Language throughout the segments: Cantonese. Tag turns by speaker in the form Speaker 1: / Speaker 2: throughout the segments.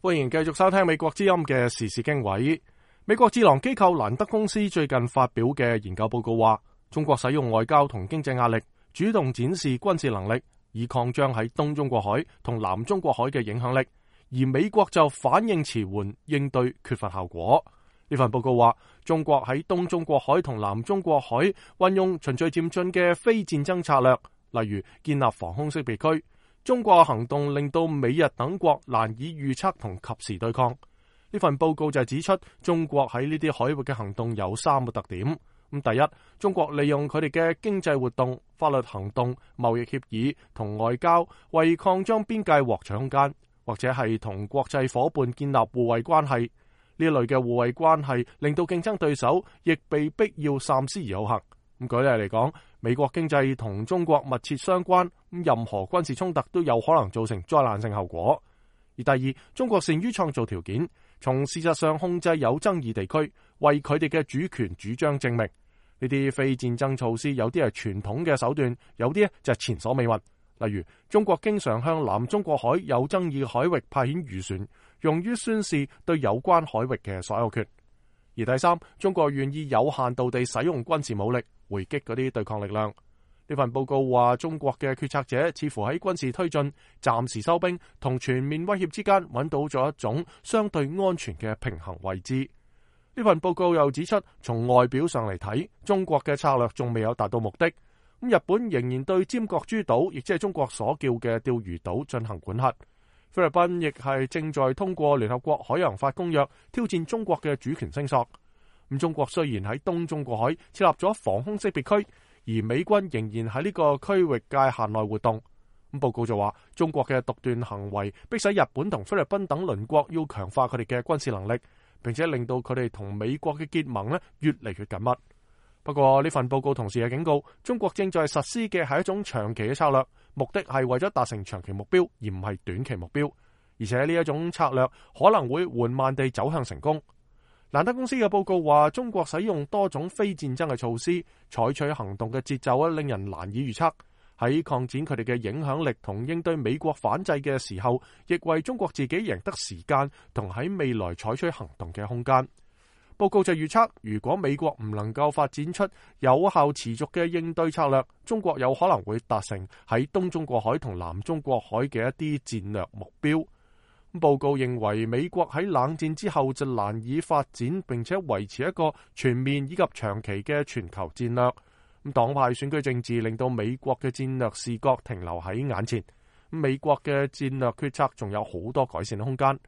Speaker 1: 歡迎繼續收聽美國之音嘅時事經緯。美國智囊機構蘭德公司最近發表嘅研究報告話，中國使用外交同經濟壓力，主動展示軍事能力，以擴張喺東中國海同南中國海嘅影響力，而美國就反應遲緩，應對缺乏效果。呢份報告話，中國喺東中國海同南中國海運用循序漸進嘅非戰爭策略，例如建立防空識別區。中國嘅行動令到美日等國難以預測同及時對抗。呢份報告就指出，中國喺呢啲海域嘅行動有3個特點。第一，中國利用佢哋嘅經濟活動、法律行動、貿易協議同外交，為擴張邊界獲取空間，或者係同國際夥伴建立互惠關係。呢類嘅互惠關係令到競爭對手亦被逼要三思而後行。舉例嚟講，美國經濟同中國密切相關，任何軍事衝突都有可能造成災難性後果。而第二，中國善於創造條件，從事實上控制有爭議地區，為佢哋嘅主權主張正名。呢啲非戰爭措施有啲係傳統嘅手段，有啲就係前所未聞。例如，中國經常向南中國海有爭議海域派遣漁船，用於宣示對有關海域嘅所有權。而第三，中國願意有限度地使用軍事武力回擊嗰啲對抗力量。呢份報告話，中國嘅決策者似乎喺軍事推進、暫時收兵同全面威脅之間揾到咗一種相對安全嘅平衡位置。呢份報告又指出，從外表上嚟睇，中國嘅策略仲未有達到目的。日本仍然對尖閣諸島，亦即係中國所叫嘅釣魚島進行管轄。菲律賓亦係正在通過聯合國海洋法公約挑戰中國嘅主權聲索。中國雖然喺東中國海設立咗防空識別區，而美軍仍然喺呢個區域界限內活動。報告就話，中國嘅獨斷行為迫使日本同菲律賓等鄰國要強化佢哋嘅軍事能力，並且令到佢哋同美國嘅結盟越嚟越緊密。不過呢份報告同時係警告，中國正在實施嘅係一種長期嘅策略，目的係為咗達成長期目標，而唔係短期目標。而且呢一種策略可能會緩慢地走向成功。蘭德公司嘅報告話，中國使用多種非戰爭嘅措施，採取行動嘅節奏令人難以預測。喺擴展佢哋嘅影響力同應對美國反制嘅時候，亦為中國自己贏得時間同喺未來採取行動嘅空間。報告就預測，如果美國唔能夠發展出有效持續嘅應對策略，中國有可能會達成喺東中國海同南中國海嘅一啲戰略目標。報告認為，美國喺冷戰之後就難以發展並且維持一個全面以及長期嘅全球戰略。黨派選舉政治令到美國嘅戰略視覺停留喺眼前，美國嘅戰略決策仲有好多改善嘅空間。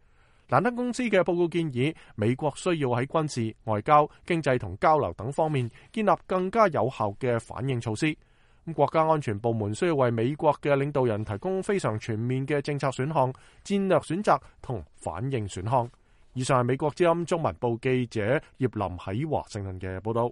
Speaker 1: 蘭德公司嘅報告建議，美國需要喺軍事、外交、經濟同交流等方面建立更加有效嘅反應措施。國家安全部門需要為美國嘅領導人提供非常全面嘅政策選項、戰略選擇同反應選項。以上係美國之音中文部記者葉林喺華盛頓嘅報道。